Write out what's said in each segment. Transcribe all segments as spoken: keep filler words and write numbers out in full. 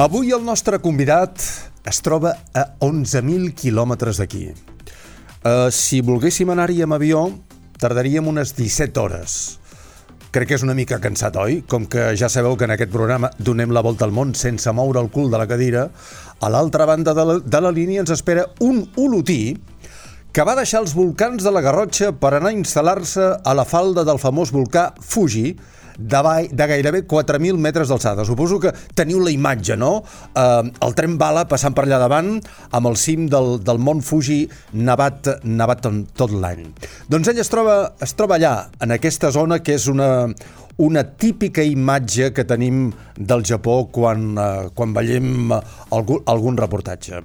Avui el nostre convidat es troba a onze mil quilòmetres d'aquí. Uh, si volguéssim anar-hi amb avió, tardaríem unes disset hores. Crec que és una mica cansat, oi? Com que ja sabeu que en aquest programa donem la volta al món sense moure el cul de la cadira, a l'altra banda de la, de la línia ens espera un olotí que va deixar els volcans de la Garrotxa per anar a instal·lar-se a la falda del famós volcà Fuji, de, de gairebé quatre mil metres d'alçada. Suposo que teniu la imatge, no? Eh, el tren bala passant per allà davant amb el cim del, del mont Fuji nevat, nevat tot l'any. Doncs ell es troba, es troba allà, en aquesta zona que és una, una típica imatge que tenim del Japó quan, eh, quan veiem algun, algun reportatge.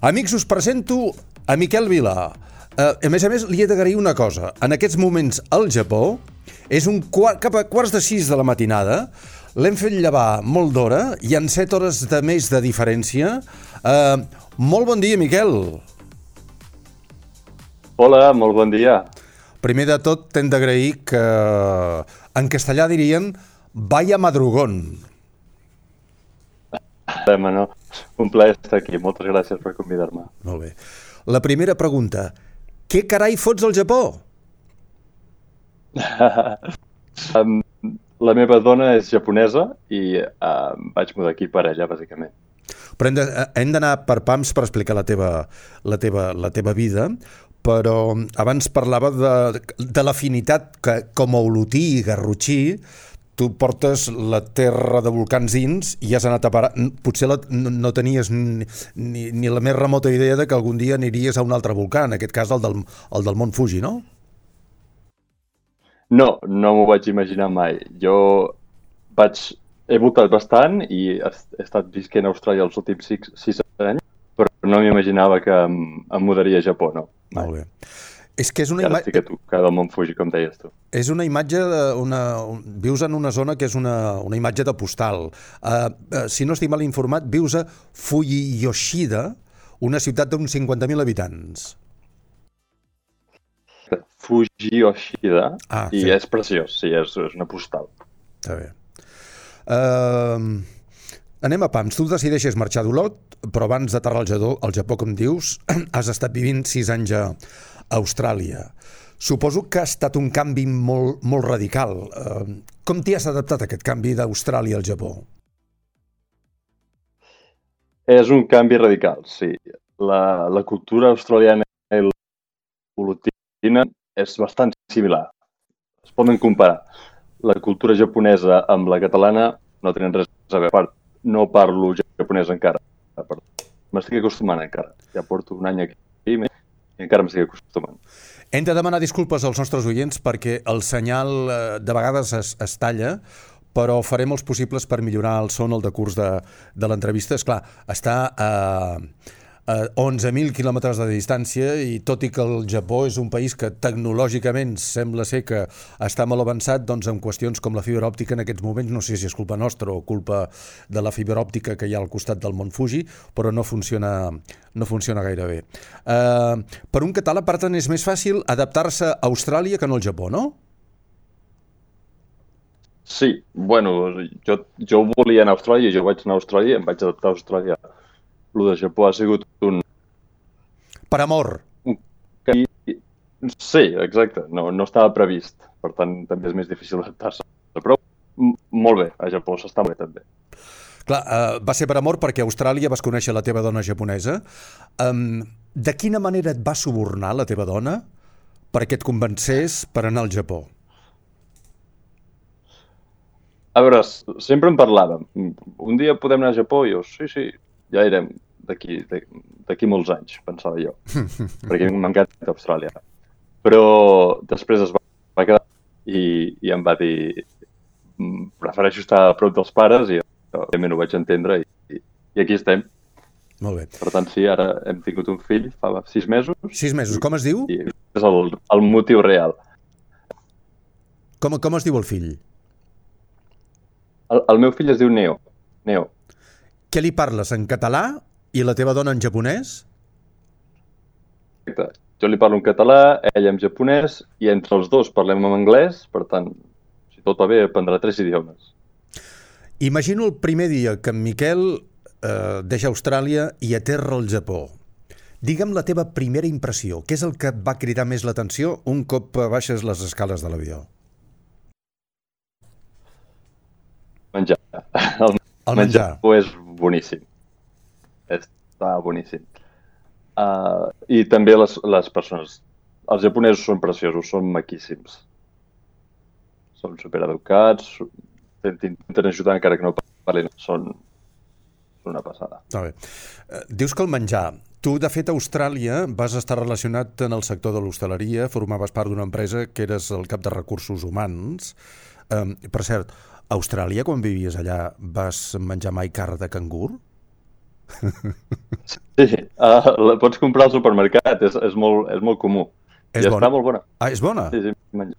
Amics, us presento a Miquel Vila. Uh, a més a més, li he d'agrair una cosa. En aquests moments al Japó és un quart, cap a quarts de sis de la matinada. L'hem fet llevar molt d'hora. Hi ha set hores de més de diferència. Uh, molt bon dia, Miquel. Hola, molt bon dia. Primer de tot, t'hem d'agrair que en castellà dirien vaya madrugón. No. Un plaer estar aquí. Moltes gràcies per convidar-me. Molt bé. La primera pregunta. Què carai fots al Japó? um, la meva dona és japonesa i uh, vaig mudar aquí per ella, bàsicament. Però hem, de, hem d'anar per pams per explicar la teva, la teva, la teva vida, però abans parlava de, de l'afinitat que com a olotí i garrotxí tu portes la terra de volcans dins i has anat a parar. Potser la, no, no tenies ni, ni, ni la més remota idea de que algun dia aniries a un altre volcà, en aquest cas el del, el del mont Fuji, no? No, no m'ho vaig imaginar mai. Jo vaig... he voltat bastant i he, he estat visquent a Austràlia els últims sis, sis anys, però no m'imaginava que em, em mudaria a Japó, no. Mai. Molt bé. És que és una imatge... que tu, que del mont Fuji, com deies tu. És una imatge, una, un, vius en una zona que és una, una imatge de postal. Uh, uh, si no estic mal informat, vius a Fujiyoshida, una ciutat d'uns cinquanta mil habitants. Fujiyoshida, ah, i sí. És preciós, sí, és, és una postal. Està bé. Uh, anem a pams. Tu decideixes marxar d'Olot, però abans d'aterrar al Japó, al Japó, com dius, has estat vivint sis anys a Austràlia. Suposo que ha estat un canvi molt, molt radical. Uh, com t'hi has adaptat a aquest canvi d'Austràlia al Japó? És un canvi radical, sí. La, la cultura australiana i l'olotina és bastant similar. Es poden comparar. La cultura japonesa amb la catalana no tenen res a veure. No parlo japonès encara. M'estic acostumant encara. Ja porto un any aquí i encara m'estic acostumant. Hem de demanar disculpes als nostres oients perquè el senyal de vegades es, es talla, però farem els possibles per millorar el son al decurs de, de l'entrevista. Esclar, està a, a onze mil quilòmetres de distància i tot i que el Japó és un país que tecnològicament sembla ser que està molt avançat, doncs en qüestions com la fibra òptica en aquests moments, no sé si és culpa nostra o culpa de la fibra òptica que hi ha al costat del mont Fuji, però no funciona, no funciona gaire bé. Uh, per un català, per tant, és més fàcil adaptar-se a Austràlia que no al Japó, no? Sí, bueno, jo, jo volia anar a Austràlia, jo vaig anar a Austràlia, em vaig adaptar a Austràlia. El de Japó ha sigut un... Per amor. Un... Sí, exacte. No, no estava previst. Per tant, també és més difícil adaptar-se. Però molt bé, a Japó s'està bé també. Clar, uh, va ser per amor perquè a Austràlia vas conèixer la teva dona japonesa. Um, de quina manera et va subornar la teva dona perquè et convencés per anar al Japó? A veure, sempre en parlàvem. Un dia podem anar al Japó? I jo, sí, sí. Ja irem d'aquí d'aquí molts anys, pensava jo, perquè m'encanta Austràlia. Però després es va quedar i, i em va dir prefereixo estar a prop dels pares i òbviament ho vaig entendre i, i aquí estem. Molt bé. Per tant, sí, ara hem tingut un fill fa sis mesos. Sis mesos, com es diu? I és el, el motiu real. Com, com es diu el fill? El, el meu fill es diu Neo. Neo. Què li parles, en català i la teva dona en japonès? Exacte. Jo li parlo en català, ella en japonès, i entre els dos parlem en anglès, per tant, si tot va bé, aprendrà tres idiomes. Imagino el primer dia que en Miquel eh, deixa Austràlia i aterra al Japó. Digue'm la teva primera impressió. Què és el que et va cridar més l'atenció un cop baixes les escales de l'avió? Menjar. El, El menjar menjar. és boníssim. Està boníssim. Uh, I també les, les persones. Els japonesos són preciosos, són maquíssims. Són supereducats, t'intenten ajudar encara que no parlin. Són una passada. Està bé. Eh, Dius que el menjar... Tu, de fet, a Austràlia vas estar relacionat en el sector de l'hostaleria, formaves part d'una empresa que eres el cap de recursos humans. Eh, per cert, a Austràlia, quan vivies allà, vas menjar mai carn de cangur? Sí, uh, la pots comprar al supermercat, és, és, molt, és molt comú. És I bona? està molt bona. Ah, és bona? Sí, sí, menja.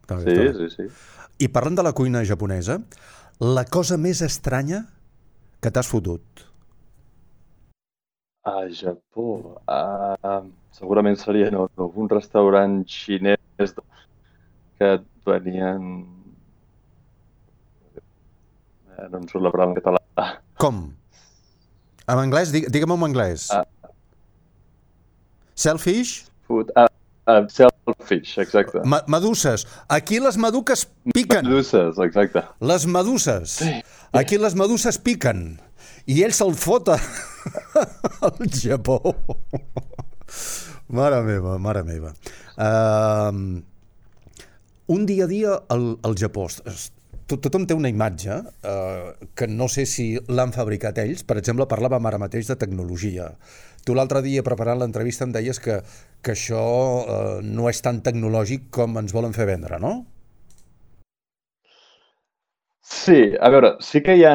Està bé, Sí, està bé. sí, sí. I parlant de la cuina japonesa, la cosa més estranya que t'has fotut? A Japó, uh, segurament seria en algun restaurant xinès que et venien... Eh, no em surt la paraula en català. Com? En anglès? Digue- Digue-m'ho en anglès. Ah. Shellfish? Food, uh, uh, shellfish, exacte. Ma meduses. Aquí les meduques piquen. Meduses, exacte. Les meduses. Aquí les meduses piquen. I ell se'l fota al Japó. Mare meva, mare meva. Uh, un dia a dia al, al Japó. Tot, tothom té una imatge uh, que no sé si l'han fabricat ells. Per exemple, parlàvem ara mateix de tecnologia. Tu l'altre dia, preparant l'entrevista, em deies que, que això uh, no és tan tecnològic com ens volen fer vendre, no? Sí, a veure, sí que hi ha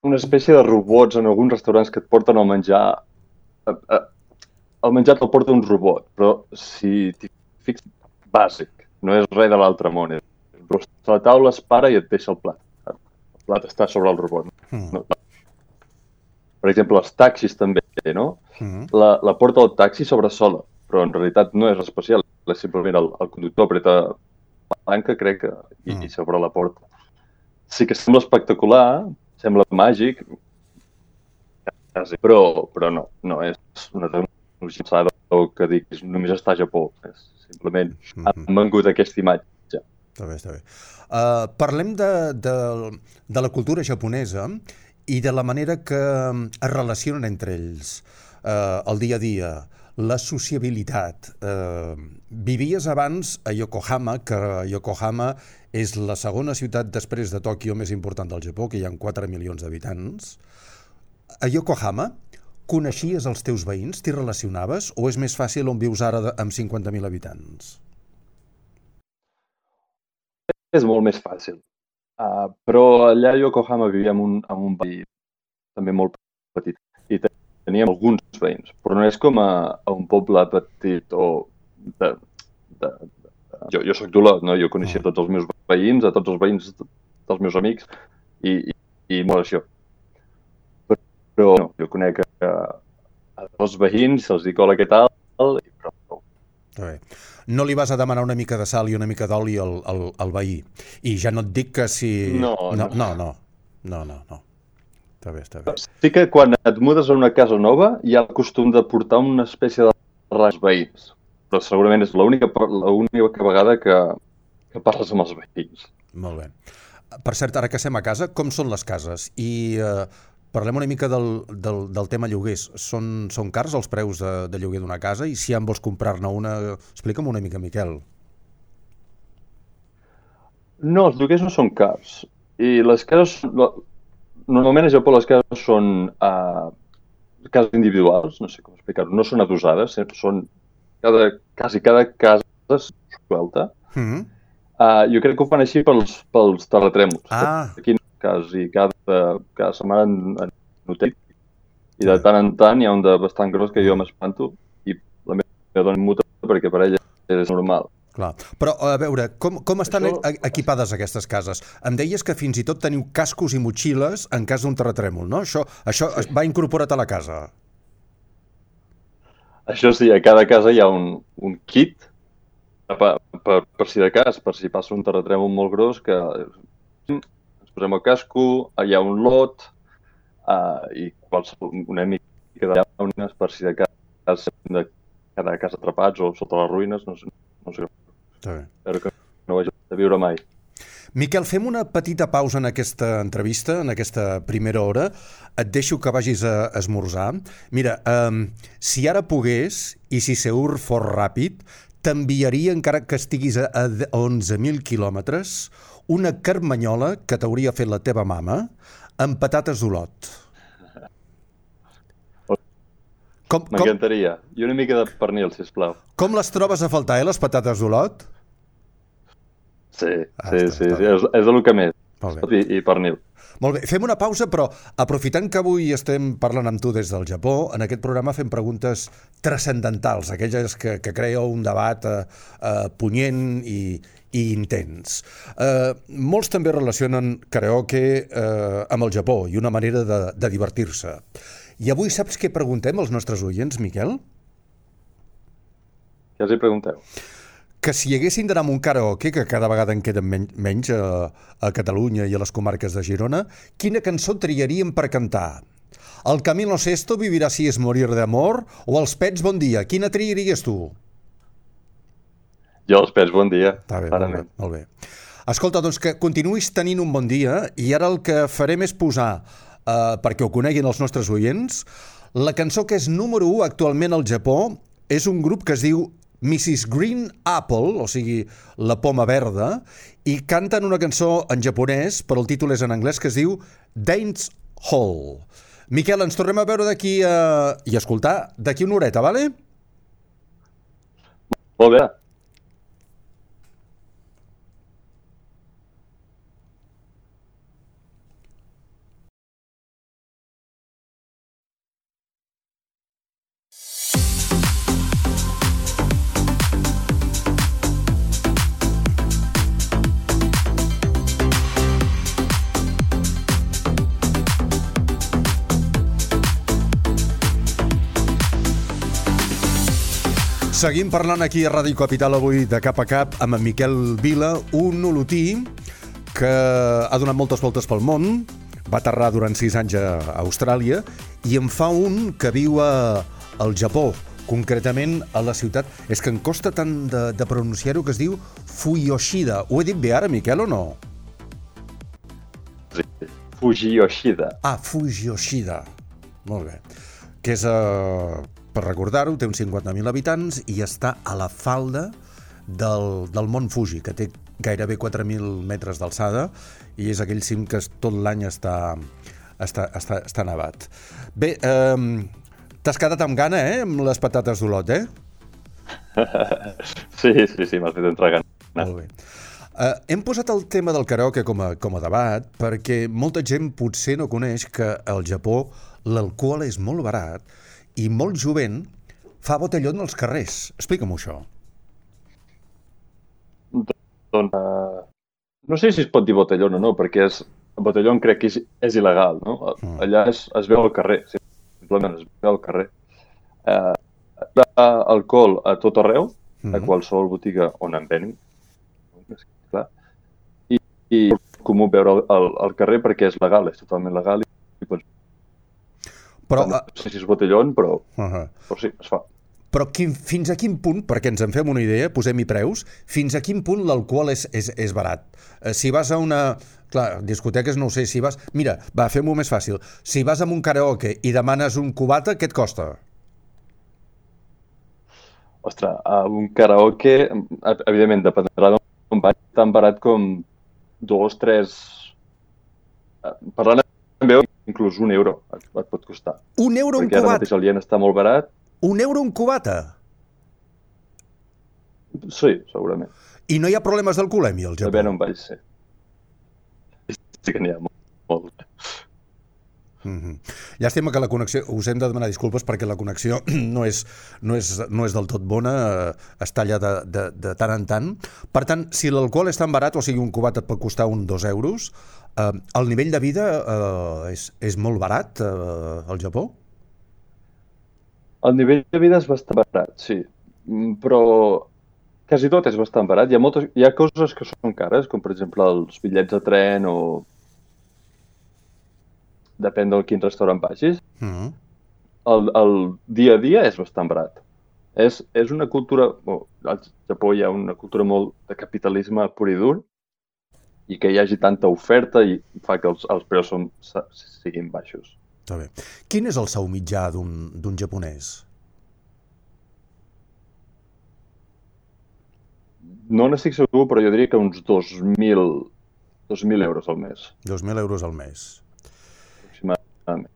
una espècie de robots en alguns restaurants que et porten el menjar. El menjar te'l porta un robot, però si t'hi fixes, bàsic, no és res de l'altre món. És a la taula, es para i et deixa el plat. El plat està sobre el robot. Mm. No. Per exemple, els taxis també, no? Mm. La, la porta del taxi sobressola, però en realitat no és especial. És simplement el, el conductor apreta la palanca, crec, que, i, Mm. i s'obre la porta. Sí que sembla espectacular, sembla màgic, quasi, però, però no, no és una tecnologia avançada o que dic, només està a Japó. És simplement han vengut aquesta imatge. Està bé, està bé. Uh, parlem de, de, de la cultura japonesa i de la manera que es relacionen entre ells, uh, el dia a dia, la sociabilitat. Uh, vivies abans a Yokohama, que Yokohama és la segona ciutat després de Tòquio més important del Japó, que hi ha quatre milions d'habitants. A Yokohama, coneixies els teus veïns? T'hi relacionaves? O és més fàcil on vius ara de, amb cinquanta mil habitants? És molt més fàcil. Uh, però allà a Yokohama vivíem un, en un veí també molt petit i teníem alguns veïns, però no és com a, a un poble petit o de... de, de jo, jo soc d'Olot, no? Jo coneixia tots els meus veïns, a tots els veïns dels meus amics i, i, i molt això. Però, però no, jo conec a, a dos veïns, se'ls dic hola, què tal, i però... Bé. No li vas a demanar una mica de sal i una mica d'oli al, al, al veí. I ja no et dic que si... No, no. no. No, no. No, no, no. Està bé, està bé. Sí que quan et mudes a una casa nova hi ha el costum de portar una espècie de ras veïns. Però segurament és l'única l'única vegada que, que parles amb els veïns. Molt bé. Per cert, ara que estem a casa, com són les cases? I eh, parlem una mica del, del, del tema lloguers. Són, són cars els preus de, de lloguer d'una casa? I si en vols comprar-ne una, explica'm una mica, Miquel. No, els lloguers no són cars. I les cases... Normalment a Japó les cases són uh, cases individuals, no sé com explicar-ho, no són adosades, són cada, quasi cada casa suelta. Mm-hmm. uh, jo crec que ho fan així pels, pels terratrèmols. Ah. Aquí quasi cada, cada setmana en, en hotel. I de tant en tant hi ha un de bastant gros que jo m'espanto i la meva dona em muta perquè per ella és normal. Clar. Però, a veure, com, com estan Això... equipades aquestes cases? Em deies que fins i tot teniu cascos i motxilles en cas d'un terratrèmol, no? Això, això sí. Va incorporat a la casa? Això sí, a cada casa hi ha un, un kit per, per, per si de cas, per si passa un terratrèmol molt gros, que ens posem el casco, hi ha un lot, uh, i qualsevol, una mica de llaunes per si de cas hem de quedar a casa atrapats o sota les ruïnes, no sé, no sé. Espero que no ho hagi de viure mai. Miquel, fem una petita pausa en aquesta entrevista, en aquesta primera hora. Et deixo que vagis a esmorzar. Mira, um, si ara pogués, i si Seur fos ràpid, t'enviaria, encara que estiguis a onze mil quilòmetres, una carmanyola que t'hauria fet la teva mama amb patates d'Olot. M'encantaria. I una mica de pernil, sisplau. Com les trobes a faltar, eh, les patates d'Olot? Sí, ah, sí, està, sí, està sí. És, és el que més. I, i pernil. Molt bé, fem una pausa, però aprofitant que avui estem parlant amb tu des del Japó, en aquest programa fem preguntes transcendentals, aquelles que, que crea un debat eh, eh, punyent i, i intens. Eh, molts també relacionen karaoke eh, amb el Japó i una manera de, de divertir-se. I avui saps què preguntem als nostres oients, Miquel? Què els hi pregunteu? Que si haguessin d'anar a un karaoke, que cada vegada en queden men menys a, a Catalunya i a les comarques de Girona, quina cançó triaríem per cantar? El Camilo Sesto, Vivirà si es morir d'amor, o Els Pets, Bon dia? Quina triaries tu? Jo, Els Pets, Bon dia. Està bé, molt bé, molt bé. Escolta, doncs que continuïs tenint un bon dia, i ara el que farem és posar, eh, perquè ho coneguin els nostres oients, la cançó que és número u actualment al Japó és un grup que es diu missus Green Apple, o sigui, la poma verda, i canten una cançó en japonès, però el títol és en anglès, que es diu Dance Hall. Miquel, ens tornem a veure d'aquí a... i escoltar d'aquí una horeta, vale? Molt bé. Seguim parlant aquí a Ràdio Capital avui de cap a cap amb en Miquel Vila, un olotí que ha donat moltes voltes pel món, va aterrar durant sis anys a Austràlia i en fa un que viu a, al Japó, concretament a la ciutat, és que em costa tant de, de pronunciar-ho, que es diu Fuyoshida. Ho he dit bé ara, Miquel, o no? Sí, Fuyoshida. Ah, Fuyoshida. Molt bé. Que és... Uh... per recordar-ho, té uns cinquanta mil habitants i està a la falda del, del Mont Fuji, que té gairebé quatre mil metres d'alçada i és aquell cim que tot l'any està, està, està, està nevat. Bé, eh, t'has quedat amb gana, eh, amb les patates d'Olot, eh? Sí, sí, sí, m'has fet entrar gana. Molt bé. Uh, hem posat el tema del karaoke com a, com a debat perquè molta gent potser no coneix que al Japó l'alcohol és molt barat i molt jovent fa botellón als carrers. Explica'm-ho, això. Doncs, uh, no sé si es pot dir botellón o no, perquè és, botellón crec que és, és il·legal, no? Mm. Allà es, es veu al carrer, simplement es veu al carrer. Uh, hi ha alcohol a tot arreu, mm. a qualsevol botiga on en venin, clar, i, i és comú veure al, al carrer perquè és legal, és totalment legal i, i pots... Però, no sé si és botellón, però, uh-huh. però sí, es fa. Però quin, fins a quin punt, perquè ens en fem una idea, posem-hi preus, fins a quin punt l'alcohol és, és, és barat? Eh, si vas a una... Clar, discoteques no ho sé, si vas... Mira, va, fem-ho més fàcil. Si vas a un karaoke i demanes un cubata, què et costa? Ostres, a un karaoke, evidentment, dependrà d'on vaig, tan barat com dos, tres... Parlant amb veu, inclús un euro et, et pot costar. Un euro un cubata? Perquè ara mateix el ien està molt barat. Un euro un cubata? Sí, segurament. I no hi ha problemes d'alcoholèmia al Japó? A veure on vaig ser. Sí que n'hi ha molt. molt. Mm-hmm. Llàstima que la connexió... Us hem de demanar disculpes perquè la connexió no és, no és, no és del tot bona, eh, es talla de, de, de tant en tant. Per tant, si l'alcohol és tan barat, o sigui, un cubat et pot costar un dos euros, eh, el nivell de vida eh, és, és molt barat eh, al Japó? El nivell de vida és bastant barat, sí. Però quasi tot és bastant barat. Hi ha, moltes, hi ha coses que són cares, com per exemple els bitllets de tren o depèn de quin restaurant vagis, Mm. el, el dia a dia és bastant barat. És, és una cultura... Bueno, al Japó hi ha una cultura molt de capitalisme pur i dur i que hi hagi tanta oferta i fa que els, els preus són, siguin baixos. Està bé. Quin és el sou mitjà d'un d'un japonès? No n'estic segur, però jo diria que uns dos mil euros al mes. dos mil euros al mes. Aproximadament.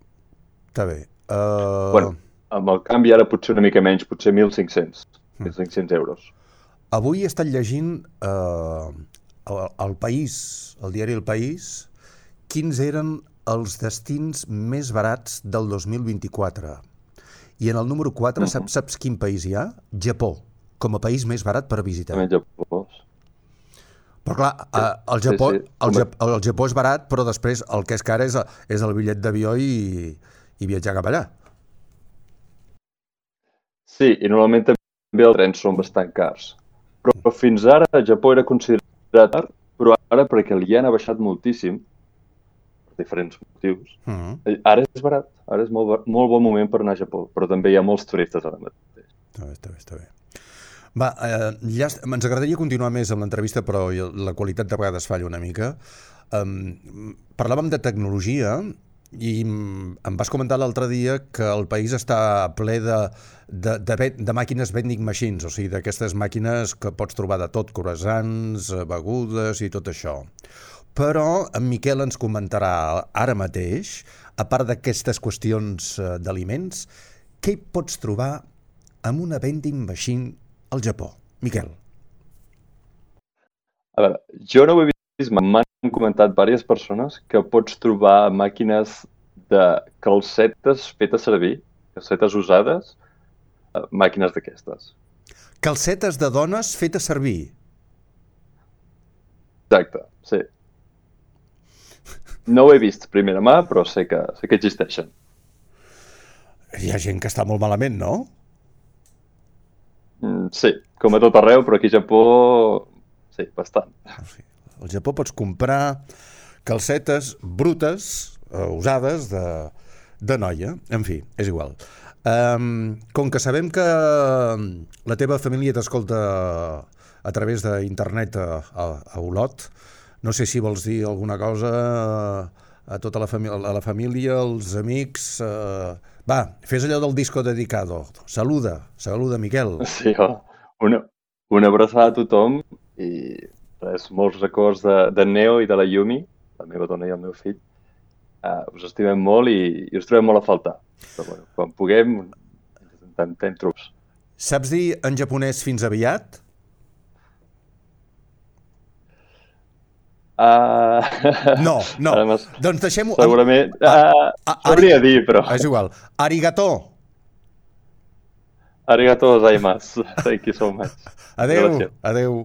Està bé. Uh... Bueno, amb el canvi ara potser una mica menys, potser mil cinc-cents. mil cinc-cents euros. Avui he estat llegint uh, el, el País, el diari El País, quins eren els destins més barats del dos mil vint-i-quatre. I en el número quatre, uh-huh. saps, saps quin país hi ha? Japó, com a país més barat per visitar. També Japó. Però clar, sí, el, Japó, sí, sí. El, Japó, el Japó és barat, però després el que és car és, és el bitllet d'avió i, i viatjar cap allà. Sí, i normalment també els trens són bastant cars. Però fins ara el Japó era considerat car, però ara perquè el ien ha baixat moltíssim, per diferents motius, mm. ara és barat. Ara és molt, molt bon moment per anar a Japó, però també hi ha molts turistes ara mateix. Està bé, està bé, està bé. Va, eh, ja ens agradaria continuar més amb l'entrevista, però la qualitat de vegades falla una mica. Um, parlàvem de tecnologia i em vas comentar l'altre dia que el país està ple de, de, de, de màquines vending machines, o sigui, d'aquestes màquines que pots trobar de tot, croissants, begudes i tot això. Però en Miquel ens comentarà ara mateix, a part d'aquestes qüestions d'aliments, què hi pots trobar amb una vending machine al Japó? Miquel. A veure, jo no ho he vist, m'han comentat diverses persones que pots trobar màquines de calcetes fetes servir, calcetes usades, màquines d'aquestes. Calcetes de dones fetes servir? Exacte, sí. No ho he vist primera mà, però sé que, sé que existeixen. Hi ha gent que està molt malament, no? Sí, com a tot arreu, però aquí a Japó, sí, bastant. Al Japó pots comprar calcetes brutes, eh, usades, de, de noia. En fi, és igual. Um, com que sabem que la teva família t'escolta a través d'internet a, a, a Olot, no sé si vols dir alguna cosa a tota la, famí a la família, als amics... Eh... Va, fes allò del disco dedicado. Saluda, saluda, Miquel. Sí, oh. una, una abraçada a tothom i res, molts records de, de Neo i de la Yumi, la meva dona i el meu fill. Uh, us estimem molt i, i us trobem molt a faltar. Però, bueno, quan puguem, intentem trucs. Saps dir en japonès fins aviat? Uh... No, no. Doncs deixem-ho... Segurament... Uh, Sabria dir, però... És igual. Arigato. Arigato gozaimasu. Thank you so much. Adeu, adeu.